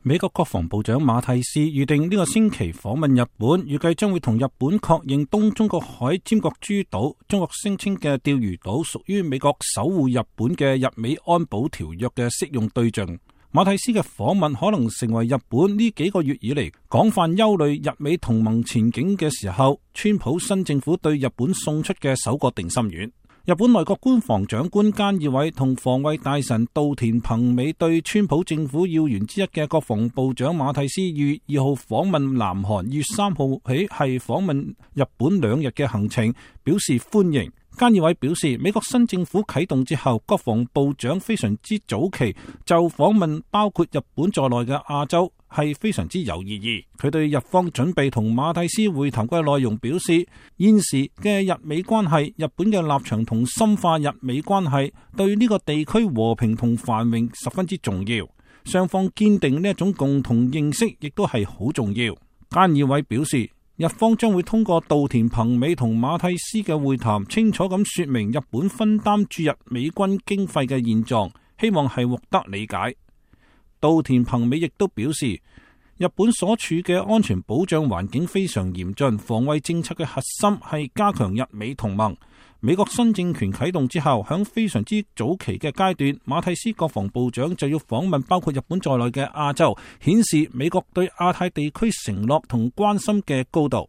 美國國防部長馬蒂斯預定呢個星期訪問日本，預計將會同日本確認東中國海尖閣諸島，中國聲稱嘅釣魚島屬於美國守護日本嘅日美安保條約嘅適用對象。馬蒂斯嘅訪問可能成為日本呢幾個月以嚟廣泛憂慮日美同盟前景嘅時候，川普新政府對日本送出嘅首個定心丸。日本內閣官房長官菅義偉同防衛大臣稻田朋美對川普政府要員之一嘅國防部長馬蒂斯2月2號訪問南韓，2月3號起係訪問日本2日嘅行程，表示歡迎。菅義偉表示，美國新政府啟動之後，國防部長非常之早期就訪問包括日本在內嘅亞洲係非常之有意義。佢對日方準備同馬蒂斯會談嘅內容表示，現時嘅日美關係，日本嘅立場同深化日美關係對呢個地區和平同繁榮十分之重要，雙方堅定呢一種共同認識亦都係好重要。菅義偉表示，日方將會通過稻田朋美同馬蒂斯嘅會談，清楚咁說明日本分擔駐日美軍經費嘅現狀，希望係獲得理解。稻田朋美亦都表示，日本所處嘅安全保障環境非常嚴峻，防衛政策嘅核心係加強日美同盟。美國新政權啟動之後，響非常之早期嘅階段，馬蒂斯國防部長就要訪問包括日本在內嘅亞洲，顯示美國對亞太地區承諾同關心嘅高度。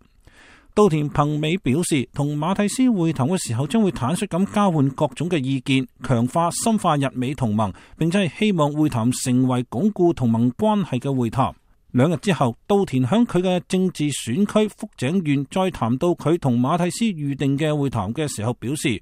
稻田朋美表示，同馬蒂斯會談嘅時候，將會坦率咁交換各種嘅意見，強化深化日美同盟，並且係希望會談成為鞏固同盟關係嘅會談。2日之後，稻田響佢嘅政治選區福井縣再談到佢同馬蒂斯預定嘅會談嘅時候，表示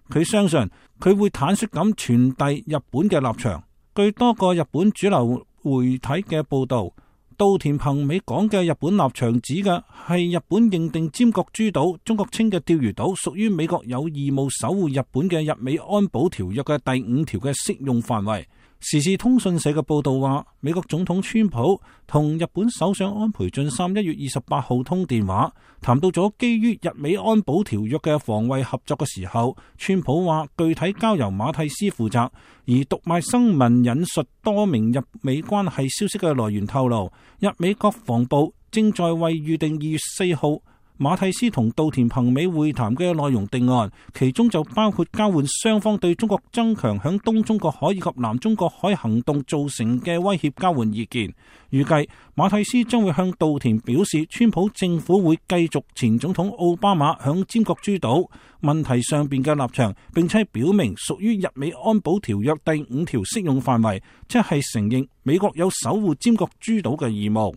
佢相信佢會坦率咁傳遞日本嘅立場。據多個日本主流媒體嘅報道，稻田朋美講嘅日本立場指嘅係日本認定尖閣諸島，中國稱嘅釣魚島屬於美國有義務守護日本嘅日美安保條約嘅第5條嘅適用範圍。時事通訊社嘅報道話，美國總統川普同日本首相安倍晉三1月28號通電話，談到咗基於日美安保條約嘅防衛合作嘅時候，川普話具體交由馬蒂斯負責。而讀賣新聞引述多名日美關係消息嘅來源透露，日美國防部正在為預定2月4號馬蒂斯同稻田朋美會談嘅內容定案，其中就包括交換雙方對中國增強響東中國海以及南中國海行動造成嘅威脅交換意見。預計馬蒂斯將會向稻田表示，川普政府會繼續前總統奧巴馬響尖閣諸島問題上邊嘅立場，並且表明屬於日美安保條約第5條適用範圍，即係承認美國有守護尖閣諸島嘅義務。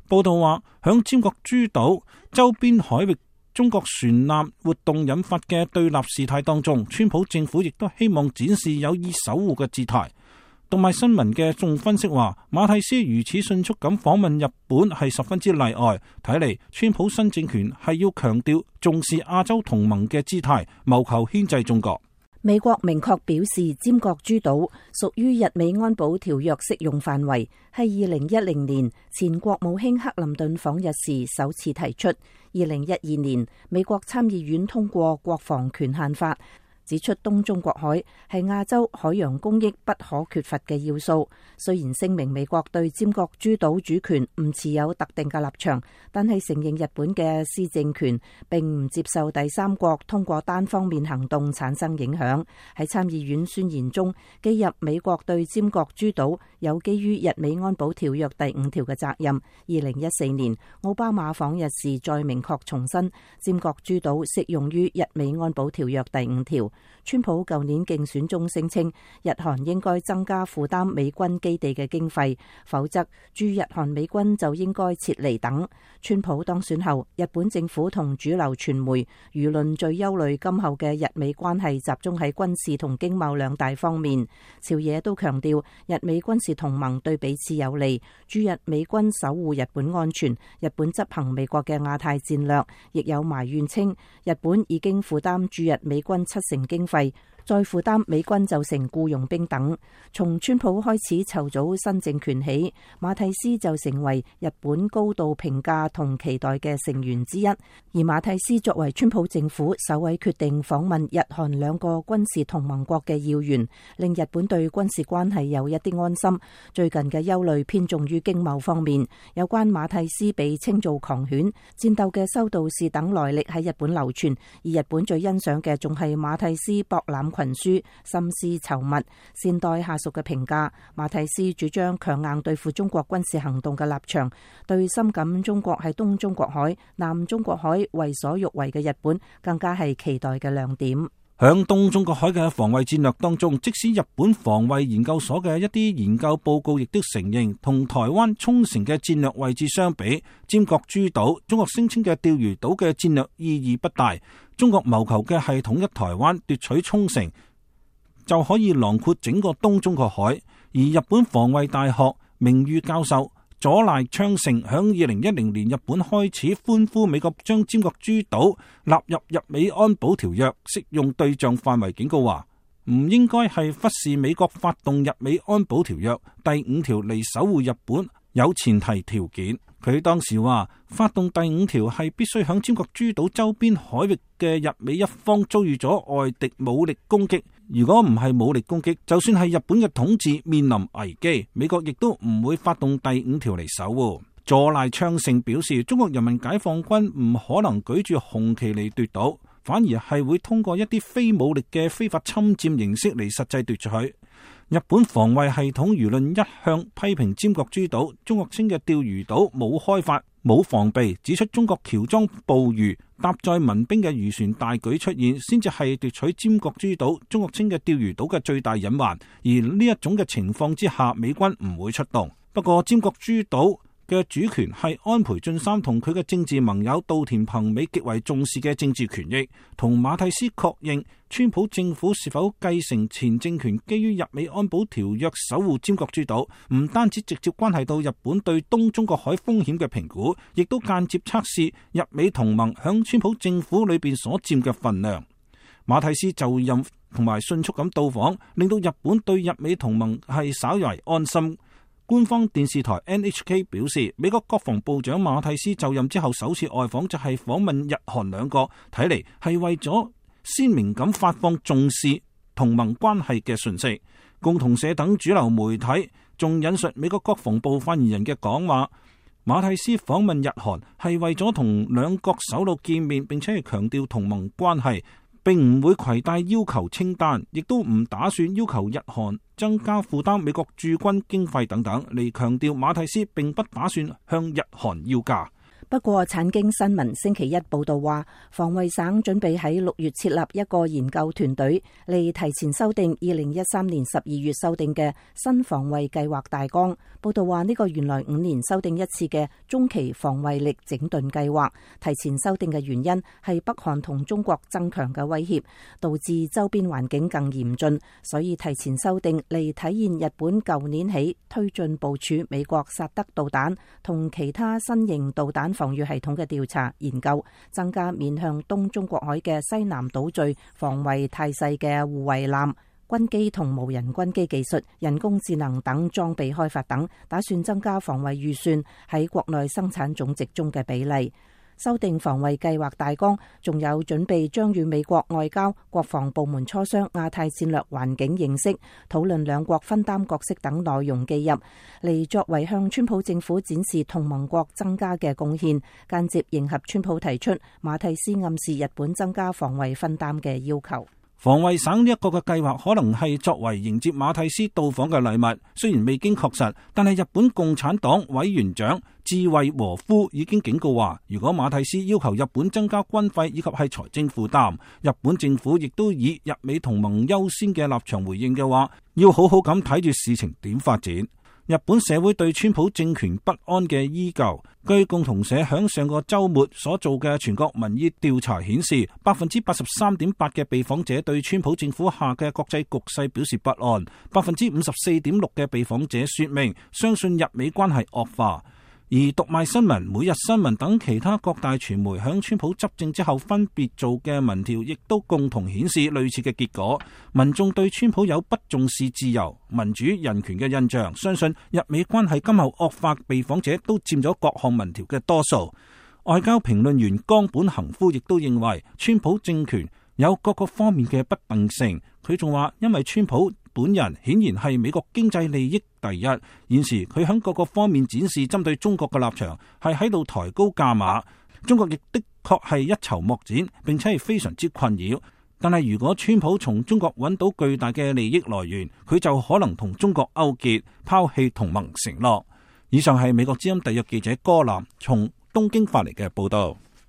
報道話，響尖閣諸島周邊海域中國船艦活動引發嘅對立事態當中，川普政府亦都希望展示有意守護嘅姿態。讀賣新聞嘅眾分析話，馬蒂斯如此迅速咁訪問日本係十分之例外，睇嚟川普新政權係要強調重視亞洲同盟嘅姿態，謀求牽制中國。美國明確表示，尖閣諸島屬於日美安保條約適用範圍，係2010年前國務卿克林頓訪日時首次提出。2012年，美國參議院通過國防權限法，指出東中國海係亞洲海洋公益不可缺乏嘅要素。雖然聲明美國對尖閣諸島主權唔持有特定嘅立場，但係承認日本嘅施政權，並唔接受第三國通過單方面行動產生影響。喺參議院宣言中記入美國對尖閣諸島有基於日美安保條約第5條嘅責任。2014年奧巴馬訪日時再明確重申，尖閣諸島適用於日美安保條約第5條。川普舊年競選中聲稱，日韓應該增加負擔美軍基地嘅經費，否則駐日韓美軍就應該撤離等。川普當選後，日本政府同主流傳媒輿論最憂慮今後嘅日美關係集中喺軍事同經貿兩大方面。朝野都強調日美軍事同盟對彼此有利，駐日美軍守護日本安全，日本執行美國嘅亞太戰略。亦有埋怨稱，日本已經負擔駐日美軍70%經費，再負擔美軍就成僱傭兵等。從川普開始籌組新政權起，馬蒂斯就成為日本高度評價同期待嘅成員之一。而馬蒂斯作為川普政府首位決定訪問日韓兩個軍事同盟國嘅要員，令日本對軍事關係有一啲安心。最近嘅憂慮偏重於經貿方面，有關馬蒂斯被稱做狂犬、戰鬥嘅修道士等來歷喺日本流傳，而日本最欣賞嘅仲係馬蒂斯博覽群書、心思稠密、善待下屬嘅評價。馬蒂斯主張強硬對付中國軍事行動嘅立場，對深感中國喺東中國海、南中國海為所欲為嘅日本更加係期待嘅亮點。響東中國海嘅防衛戰略當中，即使日本防衛研究所嘅一啲研究報告亦都承認，同台灣沖繩嘅戰略位置相比，尖閣諸島中國聲稱嘅釣魚島嘅戰略意義不大。中國謀求嘅係統一台灣、奪取沖繩，就可以囊括整個東中國海。而日本防衛大學名譽教授佐賴昌盛響2010年日本開始歡呼美國將尖閣諸島納入日美安保條約適用對象範圍，警告話唔應該係忽視美國發動日美安保條約第5條嚟守護日本有前提條件。佢當時話，發動第5條係必須響尖閣諸島周邊海域嘅日美一方遭遇咗外敵武力攻擊。如果唔係武力攻擊，就算係日本嘅統治面臨危機，美國亦都唔會發動第5條嚟守護。佐賴昌盛表示，中國人民解放軍唔可能舉住紅旗嚟奪島，反而係會通過一啲非武力嘅非法侵佔形式嚟實際奪取。日本防衛系統輿論一向批評尖閣諸島，中國稱嘅釣魚島冇開發、冇防備，指出中國喬裝捕魚、搭載民兵嘅漁船大舉出現，先至係奪取尖閣諸島、中國稱嘅釣魚島嘅最大隱患。而呢一種嘅情況之下，美軍唔會出動。不過尖閣諸島嘅主權係安倍晉三同佢嘅政治盟友稻田朋美極為重視嘅政治權益。同馬蒂斯確認川普政府是否繼承前政權基於日美安保條約守護尖閣諸島，唔單止直接關係到日本對東中國海風險嘅評估，亦都間接測試日美同盟響川普政府裏邊所佔嘅份量。馬蒂斯就任同埋迅速咁到訪，令到日本對日美同盟係稍為安心。官方電視台 NHK 表示，美國國防部長馬蒂斯就任之後首次外訪就係訪問日韓兩國，睇嚟係為咗鮮明咁發放重視同盟關係嘅訊息。共同社等主流媒體仲引述美國國防部發言人嘅講話，馬蒂斯訪問日韓係為咗同兩國首腦見面，並且係強調同盟關係，並唔會攜帶要求清單，亦都唔打算要求日韓增加負擔美國駐軍經費等等，嚟強調馬蒂斯並不打算向日韓要價。不過，產經新聞星期一報道話，防衛省準備喺6月設立一個研究團隊，嚟提前修訂2013年12月修訂嘅新防衛計劃大綱。報道話，呢個原來5年修訂一次嘅中期防衛力整頓計劃，提前修訂嘅原因係北韓同中國增強嘅威脅，導致周邊環境更嚴峻，所以提前修訂嚟體現日本舊年起推進部署美國薩德導彈同其他新型導彈防禦系統嘅調查研究，增加面向東中國海嘅西南島嶼防衛態勢嘅護衛艦、軍機同無人軍機技術、人工智能等裝備開發等，打算增加防衛預算喺國內生產總值中嘅比例。修訂防衛計劃大綱，仲有準備將與美國外交、國防部門磋商亞太戰略環境認識，討論兩國分擔角色等內容記入，嚟作為向川普政府展示同盟國增加嘅貢獻，間接迎合川普提出馬蒂斯暗示日本增加防衛分擔嘅要求。防衛省呢一個嘅計劃可能係作為迎接馬蒂斯到訪嘅禮物，雖然未經確實，但係日本共產黨委員長志惠和夫已經警告話，如果馬蒂斯要求日本增加軍費以及係財政負擔，日本政府亦都以日美同盟優先嘅立場回應嘅話，要好好咁睇住事情點發展。日本社會對川普政權不安嘅依舊，據共同社響上個週末所做嘅全國民意調查顯示，83.8%嘅被訪者對川普政府下嘅國際局勢表示不安，54.6%嘅被訪者說明相信日美關係惡化。而讀賣新聞、每日新聞等其他各大傳媒響川普執政之後分別做嘅民調，亦都共同顯示類似嘅結果。民眾對川普有不重視自由、民主、人權嘅印象，相信日美關係今後惡化，被訪者都佔咗各項民調嘅多數。外交評論員岡本恒夫亦都認為，川普政權有各個方面嘅不定性。佢仲話，因為川普本人顯然係美國經濟利益第一，現時佢喺各個方面展示針對中國嘅立場，係喺度抬高價碼。中國亦的確係一籌莫展，並且係非常之困擾。但係如果川普從中國揾到巨大嘅利益來源，佢就可能同中國勾結，拋棄同盟承諾。以上係美國之音特約記者柯南從東京發嚟嘅報道。